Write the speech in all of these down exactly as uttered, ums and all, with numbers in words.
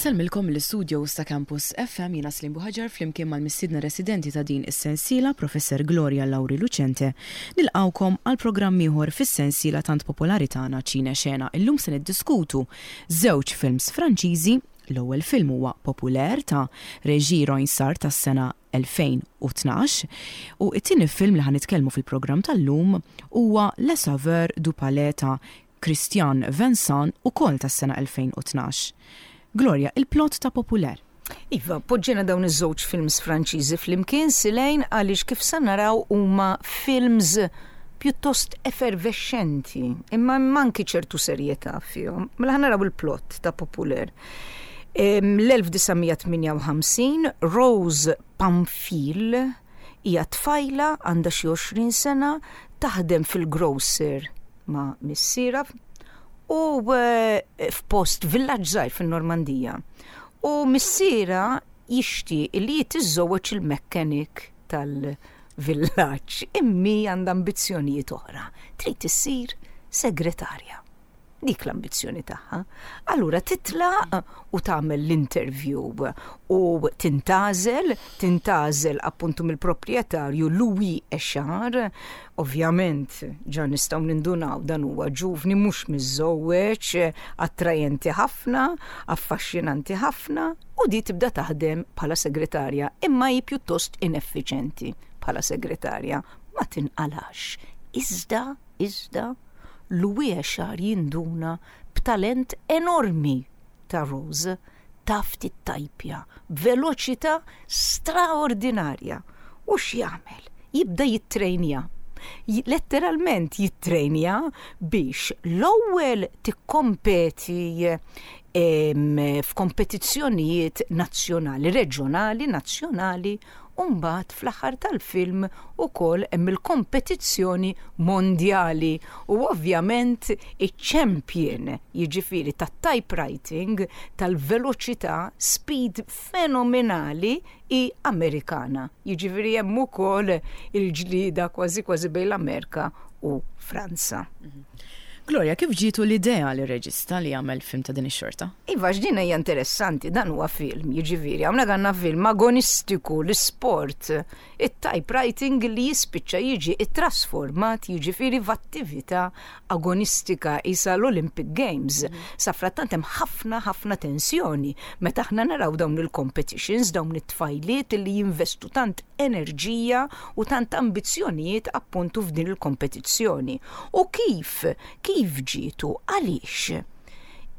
Insellmilkom l-istudio ta' Campus F M, jiena Slim Buħaġar, flimkien mal-mistiedna residenti ta' din is-sensiela, Professor Gloria Lauri Lucente. Nilqgħukom għal programm ieħor fis-sensiela tant popolari tagħna Ċine Xena. Illum se niddiskutu żewġ films Franċiżi. L-ewwel film huwa Populaire ta' Régis Roinsard tas-sena elfejn u tnax u it-tieni film li ħa nitkellmu fil-programm tal-lum huwa Le Sauveur du Palais ta' Christian Vincent, ukoll tas-sena elfejn u tnax. Gloria, il-plot ta' Populaire. Iva, poġġena dawn iż-żewġ films Franċiżi flimkien, Silejn, għaliex kif sa naraw huma films pjuttost effervescenti, imma manki ċertu serjetà fihom. Mela ħa naraw il-plot ta' Populaire. L-elf disa' mija tmienja u ħamsin, Rose Pamphile hija tfajla, għandha xi għoxrin sena, taħdem fil-grocer ma' missierha u eh, f'post villaġġ żgħir fin-Normandija. U missierha jixtieq li jitiżżewweġ il-mechanic tal-villaġġ, imma għandha ambizzjonijiet oħra. Trid issir segretarja. Dik l-ambizzjoni tagħha. Allura titlaq u tagħmel l-interview u tintgħażel, tintgħażel appuntu mill-proprjetarju Louis Echard. Ovvjament, ġa nistgħu nindunaw, dan huwa ġuvni mhux miżżewweġ, attrajenti ħafna, affaxxinanti ħafna, u di tibda taħdem bħala segretarja, imma hi pjuttost ineffiċenti bħala segretarja, ma tinqalax. Iżda, iżda, Louis Echard jinduna b'talent enormi ta' Rose, taf tittajpja b'veloċità straordinarja. U x'jagħmel? Jibda jittrejnja. Letteralment jittrejnja biex l-ewwel tikkompeti f'kompetizzjonijiet nazzjonali, reġjonali, nazzjonali, u mbagħad fl-aħħar tal-film ukoll hemm il-kompetizzjoni mondjali u ovvjament iċ-champion, jiġifieri tat-typewriting, tal-veloċità, speed fenomenali, hi Amerikana. Jiġifieri hemm ukoll il-ġlida kważi kważi bejn l-Amerika u Franza. Gloria, kif ġietu l-idea li reġista li jagħmel film ta' din ix-xorta? Iva, x'din hija interessanti, dan huwa film, jiġifieri, hawnhekk għandna film agonistiku, l-sport, it-typewriting li jispiċċa jiġi ittrasformat, jiġifieri, f'attività agonistika isa l-Olympic Games. Sa frattant hemm ħafna ħafna tensjoni meta aħna naraw dawn il-competitions, dawn it-tfajliet li jinvestu tant enerġija u tant ambizzjonijiet appuntu f'din il-kompetizzjoni. U kif kif ġietu, għaliex?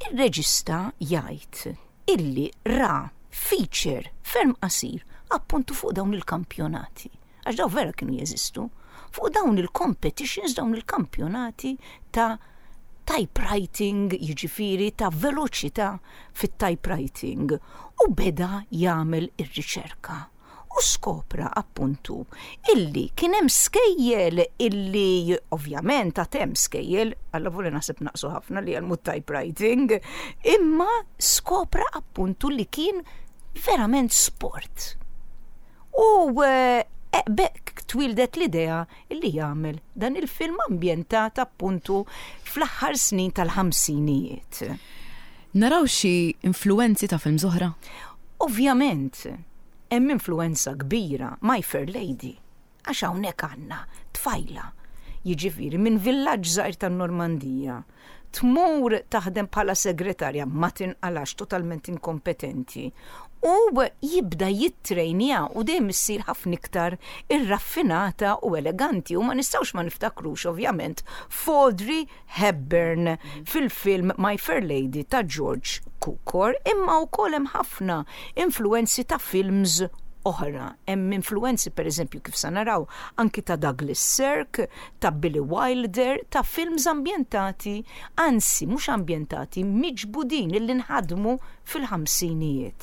Ir-reġista jgħid illi ra feature ferm qasir appuntu fuq dawn il-kampjonati. Għax daw vera kienu jeżistu. Fuq dawn il-competitions, dawn il-kampjonati ta' typewriting, jiġifieri ta' veloċità fit-typewriting. U beda jagħmel ir-riċerka u skopra appuntu illi kien hemm skejjel, illi ovvjament għad hemm skejjel, alla volja naħseb naqsu ħafna li jgħallmu typewriting, imma skopra appuntu li kien verament sport. U eh, bekk twildet l-idea illi jagħmel dan il-film ambjentat appuntu fl-aħħar snin tal-ħamsinijiet. Naraw xi influenzi ta' film oħra? Ovvjament, hemm influenza kbira, My Fair Lady, għax hawnhekk għandna tfajla, jiġifieri minn villaġġ żgħir tan-Normandija, tmur taħdem bħala segretarja, ma tinqalax, totalment inkompetenti. U jibda jittrejnja u dejjem issir ħafna iktar irraffinata u eleganti, u ma nistgħux ma niftakrux ovvjament f'Audrey Hepburn fil-film My Fair Lady ta' George Cukor, imma wkoll hemm ħafna influenzi ta' films oħra. Hemm influenzi, per eżempju, kif sa naraw, anki ta' Douglas Sirk, ta' Billy Wilder, ta' films ambjentati, anzi mhux ambjentati, miġbudin illi nħadmu fil-ħamsinijiet.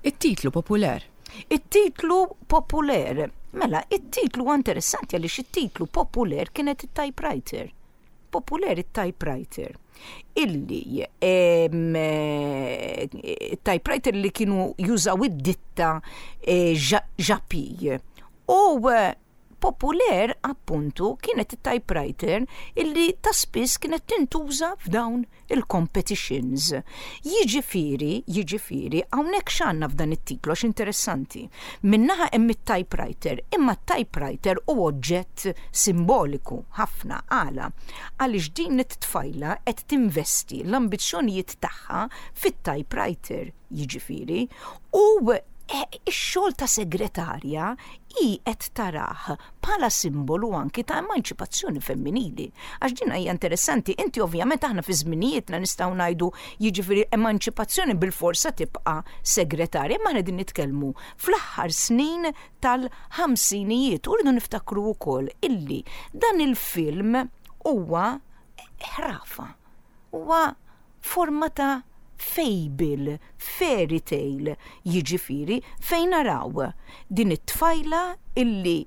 It-titlu Populaire. It-titlu Populaire. Mela, it-titlu huwa interessanti għaliex it-titlu Populaire kienet it-typewriter. Populaire, it-typewriter. Illi em, eh, typewriter li kienu jużaw id-ditta eh, Japy. U eh, Il-Populaire appuntu kienet it-typewriter illi ta' spiss kienet tintuża f'dawn il-competitions. Jiġifieri, jiġifieri, hawnhekk x'għandna f'dan it-titlu għax interessanti. Minn naħa hemm it-typewriter, imma t-typewriter hu oġġett simboliku ħafna. Għala? Għaliex din it-tfajla qed tinvesti l-ambizzjonijiet tagħha fit-typewriter, jiġifieri, u eh, ix-xogħol ta' segretarja hi qed tarah bħala simbolu anki ta' emanċipazzjoni femminili. Għax din hija interessanti, inti ovvjament aħna fi żminijietna nistgħu ngħidu, jiġifieri, emanċipazzjoni bil-forsa tibqa' segretarja, imma aħna din nitkellmu fl-aħħar snin tal-ħamsinijiet u rridu niftakru wkoll illi dan il-film huwa ħrafa. Huwa forma ta' fable, fairy tale, jiġifieri fejn naraw din it-tfajla illi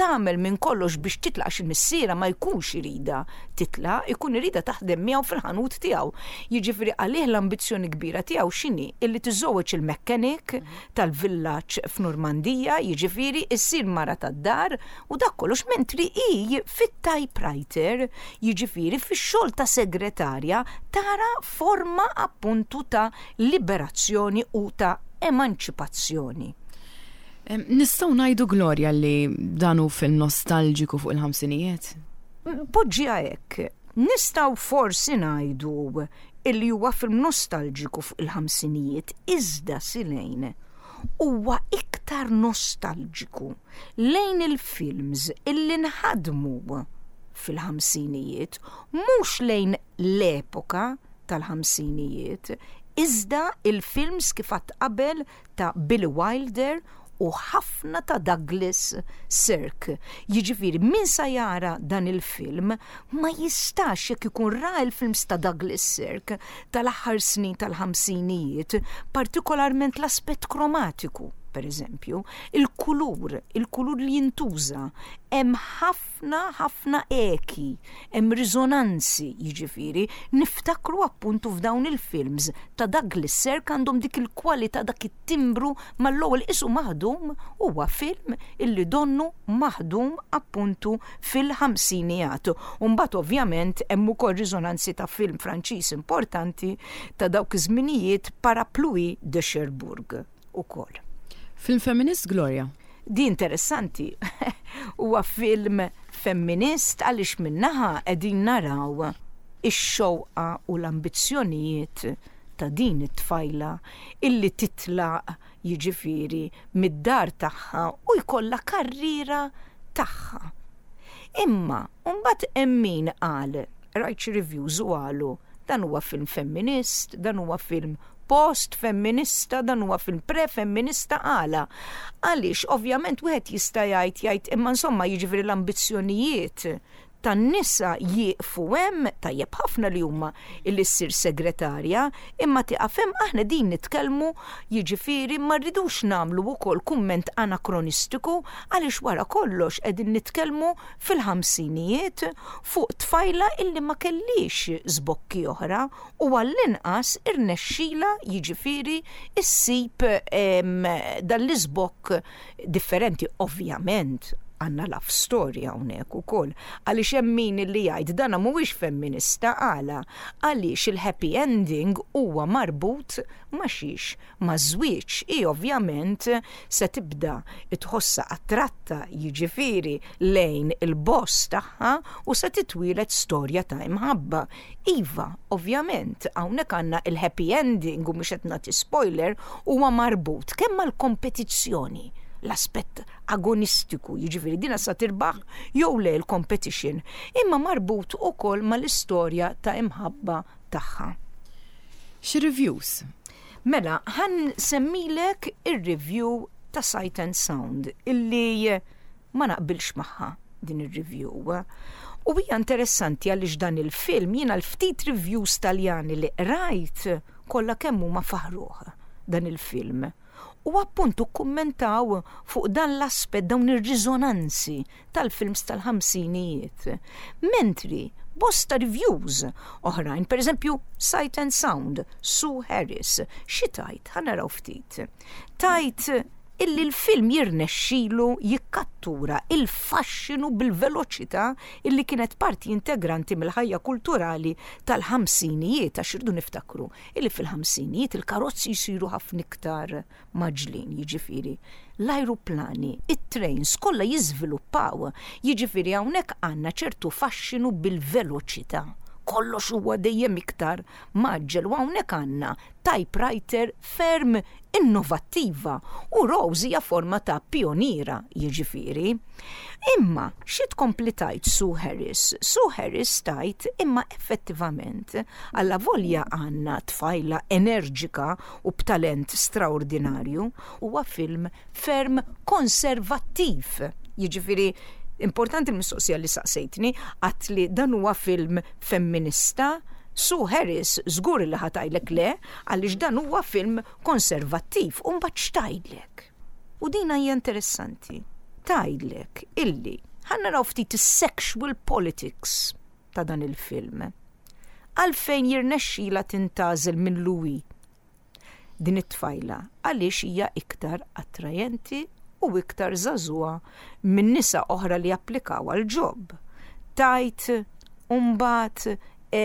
tagħmel minn kollox biex titlaq xi missiera ma jkunx irida titla, ikun irida taħdem miegħu fil-ħanut tiegħu. Jiġifieri għalih l-ambizzjoni kbira tiegħu x'inhi? Illi tiżżewweġ il-mechanic tal-villaġġ f'Normandija, jiġifieri issir mara tad-dar u dak kollox, mentri hi fit-typewriter, jiġifieri fix-xogħol ta' segretarja, tara forma appuntu ta' liberazzjoni u ta' emanċipazzjoni. Em, Nistgħu ngħidu, Gloria, li dan hu film nostalġiku fuq il-ħamsinijiet? Poġġiha hekk, nistgħu forsi ngħidu illi huwa film nostalġiku fuq il-ħamsinijiet, iżda silejn huwa iktar nostalġiku lejn il-films illi nħadmu fil-ħamsinijiet, mhux lejn l-epoka tal-ħamsinijiet, iżda il-films kif għedt qabel ta' Billy Wilder u ħafna ta' Douglas Sirk. Jiġifieri min sa jara dan il-film ma jistax, jekk ikun ra il-films ta' Douglas Sirk tal-aħħar snin tal-ħamsinijiet, partikolarment l-aspett kromatiku, per eżempju, il-kulur, il-kulur li jintuża, hemm ħafna ħafna eki, hemm risonanzi, jiġifieri, niftakru appuntu f'dawn il-films ta' Douglas Sirk, għandhom dik il-kwalità, dak it-timbru mal-ewwel isu maħdum, huwa film illi donnu maħdum appuntu fil-ħamsinijiet. Umbagħad ovvjament hemm ukoll risonanzi ta' film Franċiż importanti ta' dawk iż-żminijiet, Parapluie de Cherbourg ukoll. Film feminist, Gloria? Di interessanti. Huwa film femminist għaliex minn naħa qegħdin naraw ix-xewqa u l-ambizzjonijiet ta' din it-tfajla illi titlaq, jiġifieri, mid-dar tagħha u jkollha karriera tagħha. Imma mbagħad hemm min qal, rajt xi reviews u qalu dan huwa film femminist, dan huwa film post-femminista, dan huwa film pre-femminista. Għala? Għaliex ovvjament wieħed jista' jgħid jgħid imma insomma, jiġifieri, l-ambizzjonijiet tan-nisa jieqfu hemm, tajjeb ħafna li huma illi ssir segretarja, imma tieqaf hemm? Aħna din nitkellmu, jiġifieri, ma rridux nagħmlu wkoll kumment anakronistiku għaliex wara kollox qegħdin nitkellmu fil-ħamsinijiet fuq tfajla illi ma kellix żbokki oħra u għall-inqas irnexxila, jiġifieri, issib em, dan l-iżbokk differenti. Ovvjament għandna love story hawnhekk ukoll għaliex hemm min li jgħid dana mhuwiex femminista. Għala? Għaliex il-happy ending huwa marbut ma' xiex? Ma' żwieġ. I ovvjament se tibda tħossa attratta, jiġifieri, lejn il-boss tagħha u se titwieled storja ta' imħabba. Iva, ovvjament, hawnhekk għandna il-happy ending u mhux qed nagħti spoiler, huwa marbut kemm mal-kompetizzjoni, l-aspett agonistiku, jiġifieri dina sa tirbaħ jew le l-competition, imma marbut ukoll mal-istorja ta' imħabba tagħha. Xi reviews? Mela, ħa nsemmilek ir-review ta' Sight and Sound illi ma naqbilx magħha din ir-review. U hija interessanti għaliex dan il-film, jiena l-ftit reviews Taljani li rajt kollha kemm huma faħruh dan il-film. U appuntu kummentaw fuq dan l-aspett, dawn ir-riżonanzi tal-films tal-ħamsinijiet. Mentri bosta reviews oħrajn, per eżempju Sight and Sound, Sue Harris, xi tgħid? Ħa naraw ftit. Tgħid Illi l-film jirnexxilu jikkattura il-faxxinu bil-veloċità illi kienet parti integranti mill-ħajja kulturali tal-ħamsinijiet, għax irridu niftakru illi fil-ħamsinijiet il-karozzi jsiru ħafna iktar mgħaġġlin, jiġifieri l-ajruplani, it-trains kollha jiżviluppaw, jiġifieri hawnhekk għandna ċertu faxxinu bil-veloċità, kollox huwa dejjem iktar mgħaġġel, u hawnhekk għandna typewriter ferm innovattiva u Rose hija forma ta' pioniera, jiġifieri. Imma xi tkompli tgħid Sue Harris? Sue Harris tgħid imma effettivament alla volja għandna tfajla enerġika u b'talent straordinarju, huwa film ferm konservattiv. Jiġifieri importanti l-mistoqsija li saqsejtni, għat li dan huwa film femminista. Sue Harris żgur li ħa tgħidlek le, għaliex dan huwa film konservattiv, u mbagħad x'tgħidlek? U dina hija interessanti. Tgħidlek illi ħa naraw ftit is-sexual politics ta' dan il-film. Għalfejn jirnexxila tintgħażel minn Louis din it-tfajla? Għaliex hija iktar attrajenti u iktar żagħżugħa minn nisa oħra li applikaw għal job. Tgħid mbagħad, e,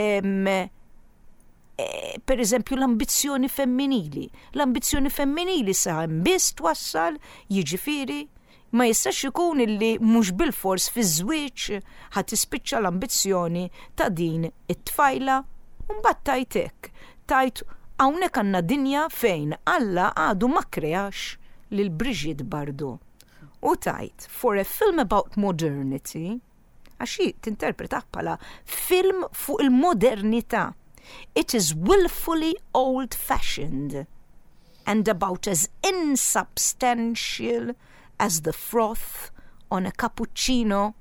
per eżempju, l-ambizzjoni femminili. L-ambizzjoni femminili sa biss twassal, jiġifieri ma jistax ikun illi mhux bil-fors fi żwieġ ħa tispiċċa l-ambizzjoni ta' din it-tfajla. Mbagħad tgħid hekk, tgħid hawnhekk għandna dinja fejn Alla għadu ma kreax lil Brigitte Bardot. U tgħid, for a film about modernity, għax hi tinterpretah bħala film fuq il-modernità, it is willfully old-fashioned and about as insubstantial as the froth on a cappuccino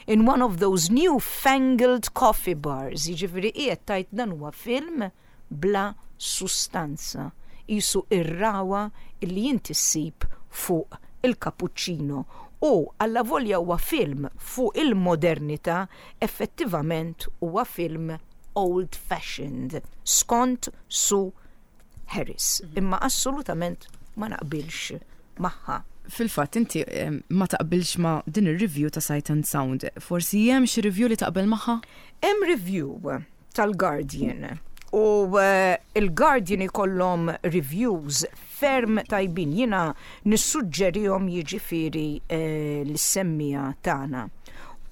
in one of those new-fangled coffee bars. Jiġifieri qiegħed tgħid dan huwa film bla sustanza. Qisu ir-ragħwa illi inti ssib fuq il-cappuccino. U alla volja huwa film fuq il-modernità, effettivament huwa film old-fashioned, skont Sue Harris. Imma assolutament ma naqbilx magħha. Fil-fatt, inti ma taqbilx ma din ir-review ta' Sight and Sound. Forsi hemm xi review li taqbel magħha? Hemm review tal-Guardian u uh, il-Guardian ikollhom reviews ferm tajbin, jiena nissuġġerihom, jiġifieri uh, lis-semmiegħa tagħna.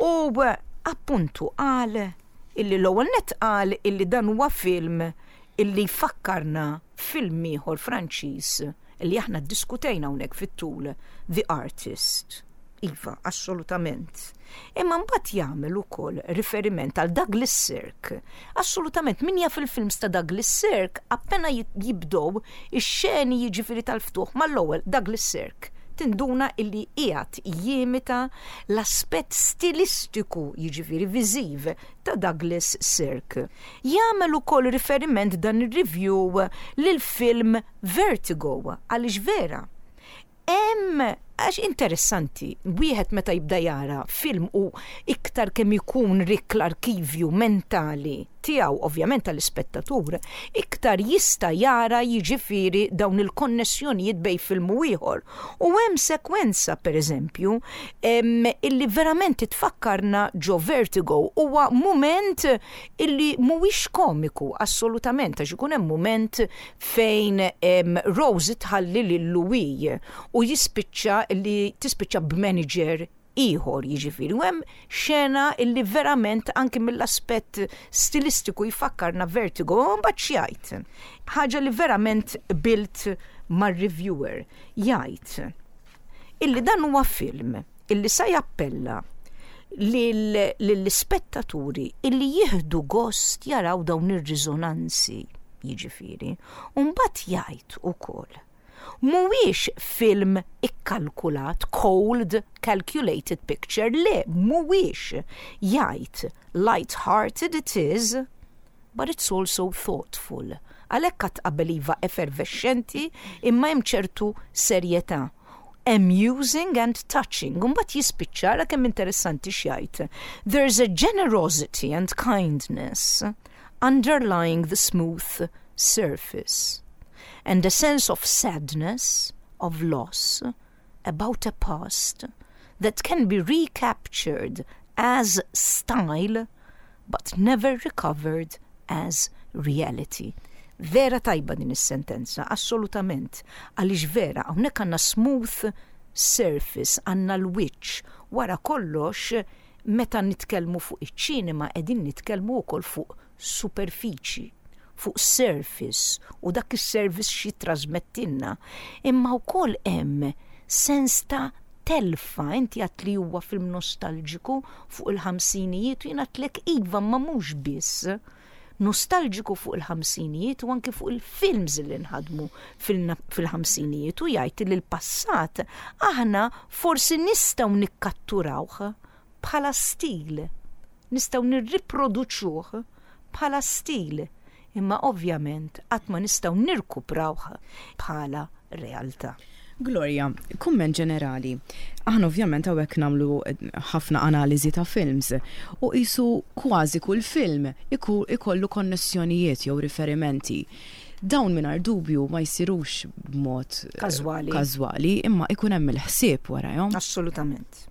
U uh, appuntu qal illi l-ewwel net qal illi dan huwa film illi fakkarna film ieħor Franċiż illi aħna ddiskutejna hawnhekk fit-tul, The Artist. Iva, assolutament. Imma mbagħad jagħmel ukoll riferiment għal Douglas Sirk. Assolutament, min jaf il-films ta' Douglas Sirk, appena jibdow ix-xeni, jiġifieri tal-ftuħ, mal-ewwel Douglas Sirk tinduna illi qiegħed jimita l-aspett stilistiku, jiġifieri viżiv, ta' Douglas Sirk. Jagħmel ukoll riferiment dan ir-review lil film Vertigo, għaliex vera. Hemm, għax interessanti, wieħed meta jibda jara film u iktar kemm ikun rik l-arkivju mentali tiegħu, ovvjament tal-ispettatur, iktar jista' jara, jiġifieri, dawn il-konnessjonijiet bejn film u ieħor. U hemm sekwenza, pereżempju, illi verament tfakkarna ġo Vertigo. Huwa mument illi mhuwiex komiku assolutament, għax ikun hemm mument fejn Rose tħalli lil Louis u jispiċċa li tispiċċa b'manager ieħor, jiġifieri. U hemm xena illi verament anki mill-aspett stilistiku jfakkarna Vertigo, u mbagħad x'jgħid? Ħaġa li verament qbilt mar-reviewer, jgħid illi dan huwa film illi sa jappella lill-ispettaturi illi jieħdu gost jaraw dawn ir-riżonanzi, jiġifieri. U mbagħad jgħid ukoll mhuwiex film ikkalkulat, cold, calculated picture, le, mhuwiex. Jgħid, light-hearted it is, but it's also thoughtful. Għalhekk għat qabel, iva, effervescenti, imma hemm ċertu serjetà. Amusing and touching. Mbagħad jispiċċa, ara kemm interessanti x'jgħid. There's a generosity and kindness underlying the smooth surface and a sense of sadness of loss about a past that can be recaptured as style but never recovered as reality. Vera tajba din is-sentenza, assolutament, għaliex vera hawnhekk għandna smooth surface, għandna l-wiċċ, wara kollox meta nitkellmu fuq iċ-ċinema qegħdin nitkellmu wkoll fuq superfiċi, fuq surface u dak is-surface xi trasmettilna. Imma wkoll hemm sens ta' telfa, inti għedt li huwa film nostalġiku fuq il-ħamsinijiet u jien għedtlek iva ma mhux biss nostalġiku fuq il-ħamsinijiet u anki fuq il-films li nħadmu fil-ħamsinijiet u jgħid li l-passat aħna forsi nistgħu nikkatturawh bħala stil, nistgħu nirriproduċuh bħala stil, imma ovvjament qatt ma nistgħu nirkuprawh bħala realtà. Gloria, kumment ġenerali. Aħna ovvjament hawnhekk nagħmlu ħafna analiżi ta' films u qisu kważi kull film ikollu konnessjonijiet jew riferimenti. Dawn mingħajr dubju ma jsirux b'mod Każwali. każwali, imma ikun hemm il-ħsieb warajhom. Assolutament.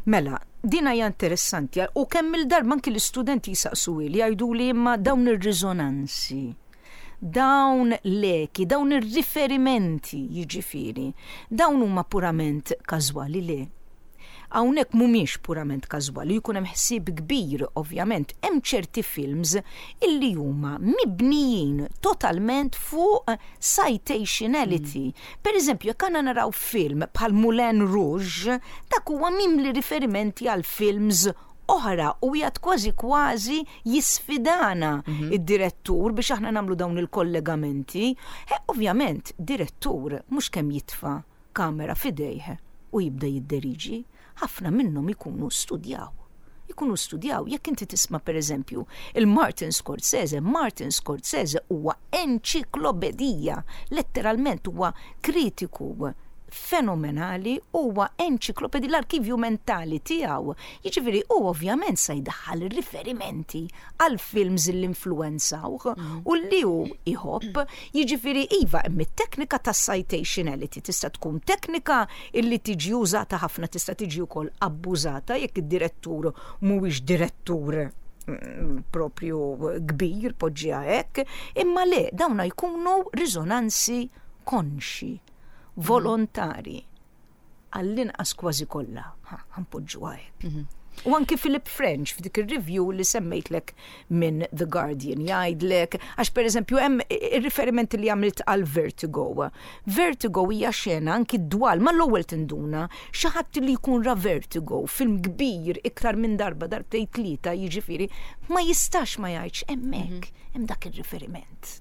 Mela, din hija interessanti u kemm il-darba anki l-istudenti jisaqsu li jgħidu li imma dawn ir-riżonanzi, dawn l-eki, dawn ir-riferimenti jiġifieri, dawn huma purament każwali le. Hawnhekk mhumiex purament każwali, jkun hemm ħsieb kbir ovvjament, hemm ċerti films illi huma mibnijin totalment fuq citationality. Mm. Per eżempju, jekk għandna naraw film bħal Moulin Rouge, dak huwa mimli riferimenti għal films oħra u jgħad kważi kważi jisfidana mm -hmm. id-direttur biex aħna nagħmlu dawn il-kollegamenti. E, ovvjament, direttur mhux kemm jitfa' kamera f'idejh u jibda jidderiġi, ħafna minnhom ikunu studjaw. Ikunu studjaw, jekk inti tisma' per eżempju il-Martin Scorsese, Martin Scorsese huwa enċiklopedija, letteralment huwa kritiku fenomenali, huwa enċiklopedija, l-arkivju mentali tiegħu. Jiġifieri u ovvjament se jdaħħal riferimenti għal films li influenzawh u li hu iħobb. Jiġifieri iva hemm it-teknika ta' citationality tista' tkun teknika illi tiġi użata ħafna, tista' tiġi wkoll abbużata jekk id-direttur mhuwiex direttur mm, propju kbir, poġġiha hekk, imma le dawna jkunu riżonanzi konxi, volontari, għall-inqas kważi kollha, ħa npoġġuha hekk. U anki Philip French f'dik ir-review li semmejtlek minn The Guardian jgħidlek, għax per eżempju hemm ir-riferimenti li għamilt għal Vertigo. Vertigo hija xena anki dwal, ma l-ewwel tinduna xi ħadd li jkun ra Vertigo, film kbir iktar minn darba darbtejn tlieta jiġifieri, ma jistax ma jgħidx hemmhekk hemm dak ir-riferiment.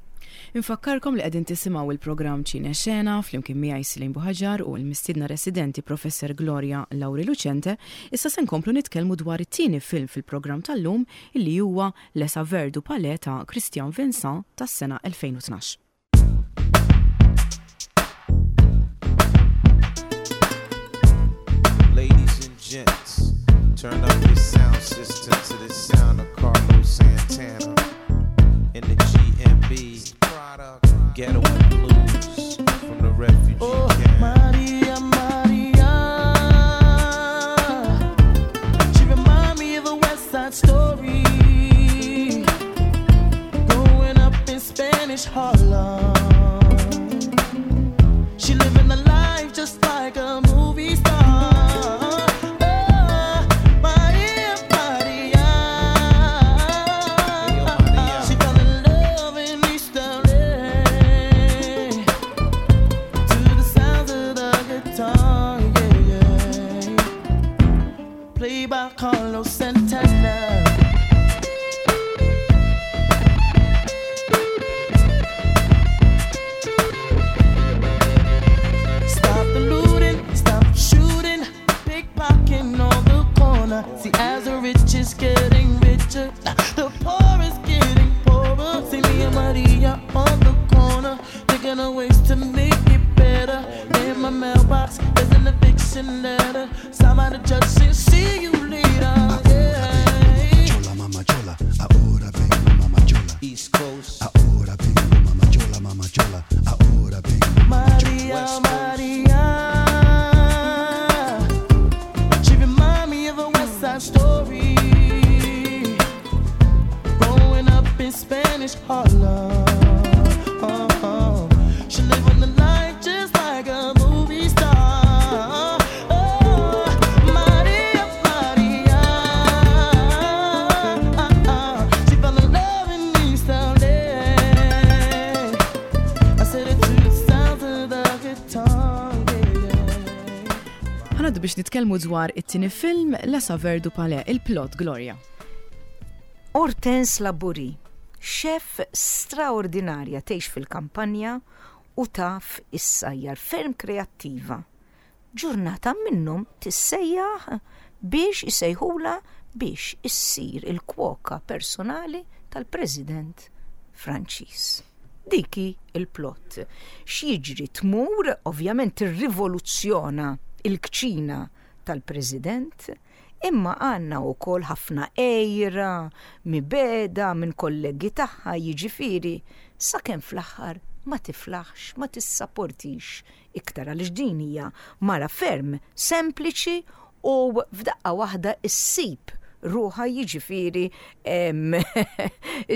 Infakkarkom li qegħdin tisimgħu il-programm Ċine Xena flimkien miegħi Celine Buhagiar u l-mistiedna residenti Professor Gloria Lauri Lucente. Issa se nkomplu nitkellmu dwar it-tieni film fil-programm tal-lum illi huwa Les Saveurs du Palais ta' Christian Vincent tas-sena elfejn u tnax. Ladies and gents, turn up your sound system to the sound of Carlos Santana in the G M B. Ghetto blues from the refugee Oh, camp. Maria, Maria, she remind me of a West Side Story. Growing up in Spanish Harlem, she living the life just like a movie star. Oh, Maria, Maria. Hey, yo, Maria. She fell in love in East L A to the sounds of the guitar, yeah, yeah. Played by Carlos Santana. Stop the looting, stop the shooting, pickpocketing on the corner. See, as the rich is getting richer, the poor is getting poorer. See me and Maria on the corner, thinking of ways to make it better. In my mailbox, there's an eviction letter. Signed by the judge, saying, see you later. Yeah. Chola, mama chola, ahora vengo, mama chola. East Coast. Ahora vengo, mama chola, mama chola. Ahora vengo, mama chola. Maria, West Coast. Maria. Ħa ngħaddu biex nitkellmu dwar it-tieni film La Saveur du Palais, il-plot, Gloria. Hortense Laborie, chef straordinarja, tgħix fil-kampanja u taf issajjar, ferm kreattiva. Ġurnata minnhom tissejjaħ biex isejħula biex issir il-kwoka personali tal-President Franċiż. Dik hi il-plot. X'jiġri? Tmur, ovvjament tirrivoluzzjona il-kċina tal-President, imma għandna wkoll ħafna għira, mibegħda minn kollegi tagħha, jiġifieri sakemm fl-aħħar ma tiflaħx, ma tissaportix iktar, għaliex din hija mara ferm sempliċi u f'daqqa waħda issib ruħha, jiġifieri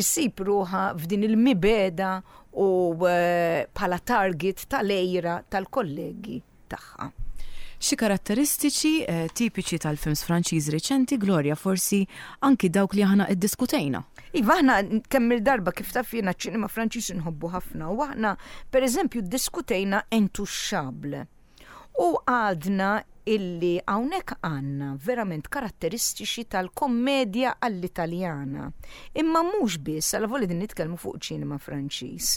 issib ruħha f'din il-mibegħda u eh, bħala target tal-għira tal-kollegi tagħha. Xi karatteristiċi eh, tipiċi tal-films Franċiż reċenti, Gloria, forsi anki dawk li aħna iddiskutejna? Iva, aħna kemm il-darba, kif taf, jiena ċinema Franċiż nħobbu ħafna u aħna per eżempju ddiskutejna Intouchables. U għadna illi hawnhekk għandna verament karatteristiċi tal-kommedja għall-Italjana. Imma mhux biss, għal voli din nitkellmu fuq ċinema Franċiż.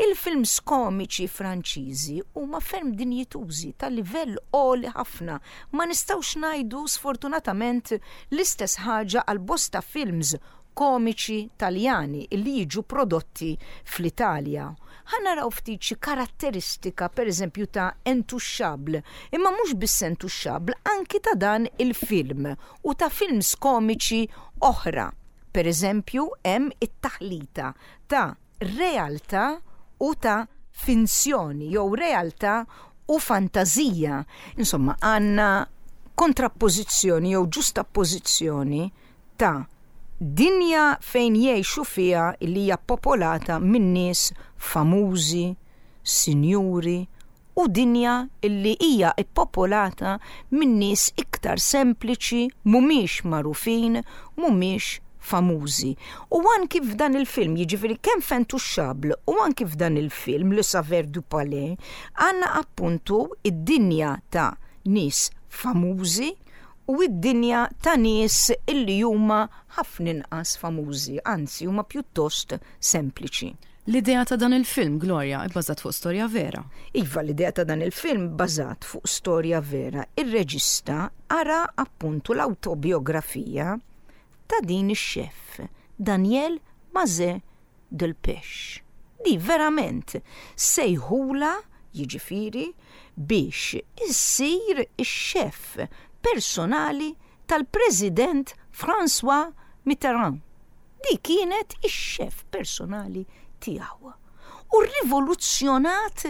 Il-films komiċi Franċiżi huma ferm dinjitużi, tal-livell għoli ħafna. Ma nistgħux ngħidu sfortunatament l-istess ħaġa għal bosta films komiċi Taljani illi jiġu prodotti fl-Italja. Ħa naraw ftit xi karatteristika, per eżempju, ta' Intouchables, imma mhux biss Intouchables, anki ta' dan il-film u ta' films komiċi oħra. Per eżempju, hemm it-taħlita ta' realtà u ta' finzjoni jew realtà u fantazija. Insomma, għandna kontrappożizzjoni jew ġustappożizzjoni ta' dinja fejn jgħixu fiha li hija popolata minn nies famużi, sinjuri, u dinja illi hija ippopolata minn nies iktar sempliċi, mhumiex magħrufin, mhumiex famużi. U anki f'dan il-film, jiġifieri kemm f'Intouchables u anki f'dan il-film Le Saveur du Palais, għandna appuntu id-dinja ta' nies famużi u id-dinja ta' nies illi huma ħafna inqas famużi, anzi huma pjuttost sempliċi. L-idea ta' dan il-film, Gloria, bbażat fuq storja vera. Iva, l-idea ta' dan il-film bbażat fuq storja vera. Ir-reġista qara appuntu l-autobiografija ta' din ix-xef, Danielle Mazet Delpech. Di verament sejħula, jiġifieri, biex issir ix-xef personali tal-President François Mitterrand. Di kienet ix-xef personali tiegħu. U rivoluzzjonat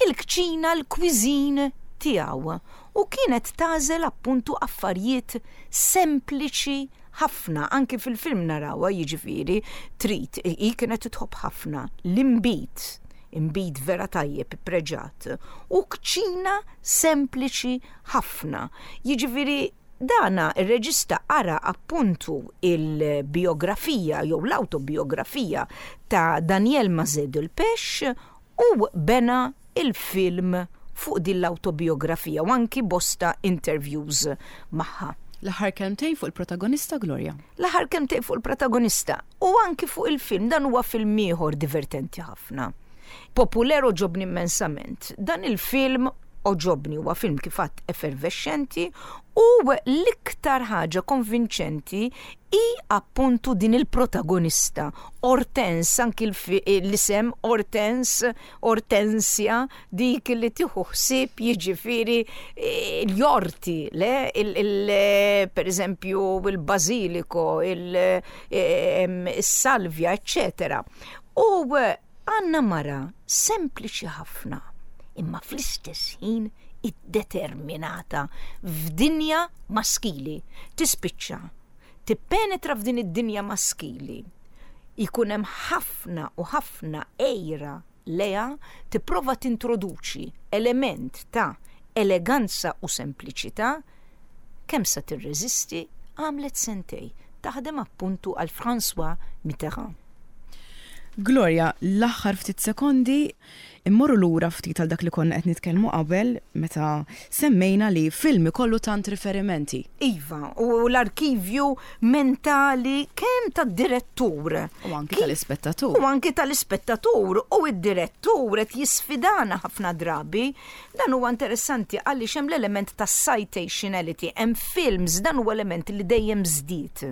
il-kċina, l-cuisine tiegħu. U kienet tagħżel appuntu affarijiet sempliċi ħafna, anki fil-film narawha, jiġifieri trid, hi kienet tħobb ħafna l-imbit, imbit vera tajjeb, preġat, u kċina sempliċi ħafna. Jiġifieri dana ir-reġista qara appuntu il-biografija jew l-autobiografija ta' Danielle Mazet Delpech u bena il-film fuq din l-autobiografija u anki bosta interviews magħha. L-aħħar kelmtejn fuq il-protagonista, Gloria. L-aħħar kelmtejn fuq il-protagonista u anki fuq il-film. Dan huwa film ieħor divertenti ħafna. Populaire għoġobni immensament. Dan il-film għoġobni, huwa film kif għedt effervescenti u l-iktar ħaġa konvinċenti hi appuntu din il-protagonista Hortense, anki l-isem Hortense, Hortensia, dik li tieħu ħsieb, jiġifieri, l-orti, le, per eżempju il-bażiliko, il-salvia, eccetera. U għandna mara sempliċi ħafna, imma fl-istess ħin iddeterminata f'dinja maskili. Tispiċċa tippenetra f'din id-dinja maskili. Jkun hemm ħafna u ħafna għira lejha, tipprova tintroduċi element ta' eleganza u sempliċità. Kemm sa tirreżisti? Għamlet sentejn taħdem appuntu għal François Mitterrand. Gloria, l-aħħar ftit sekondi immorru lura ftit għal dak li konna qed nitkellmu qabel meta semmejna li film ikollu tant riferimenti. Iva, u l-arkivju mentali kemm tad-direttur. U anki tal-ispettatur. U anki tal-ispettatur u id-direttur qed jisfidana ħafna drabi. Dan huwa interessanti għaliex hemm l-element ta' citationality, hemm films dan huwa element li dejjem żdied.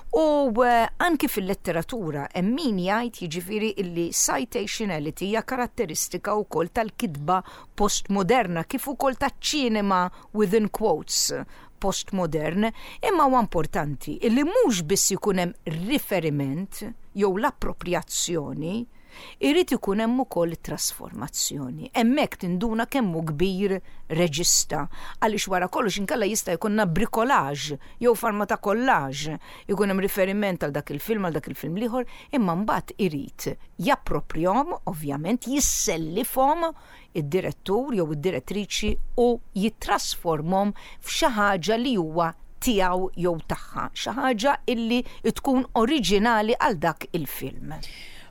U eh, anki fil-letteratura hemm min jgħid, jiġifieri, illi citationality hija karatteristika wkoll tal-kitba postmoderna kif ukoll taċ-ċinema within quotes postmodern, imma huwa importanti illi mhux biss ikun hemm riferiment jew l-appropriazzjoni, irid ikun hemm ukoll trasformazzjoni. Hemmhekk tinduna kemm hu kbir reġista, għaliex wara kollox inkella jista' jkollna bricolage jew forma ta' collage, ikun hemm riferiment għal dak il-film, għal dak il-film l-ieħor, imma mbagħad irid japproprjahom, ovvjament, jissellifhom id-direttur jew id-direttriċi u jittrasformhom f'xi ħaġa li huwa tiegħu jew tagħha, xi ħaġa illi tkun oriġinali għal dak il-film.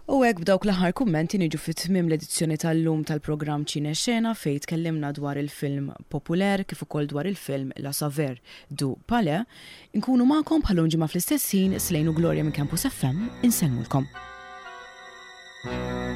U hekk, b'dawk l-aħħar kummenti, niġu fit tmiem l-edizzjoni tal-lum tal-programm Ċine Xena, fejn tkellimna dwar il-film Populaire kif ukoll dwar il-film La Saveur du Palais. Inkunu magħkom bħal ġimgħa fl-istess ħin. Slejnu Gloria minn Campus F M insellmulkom. Thank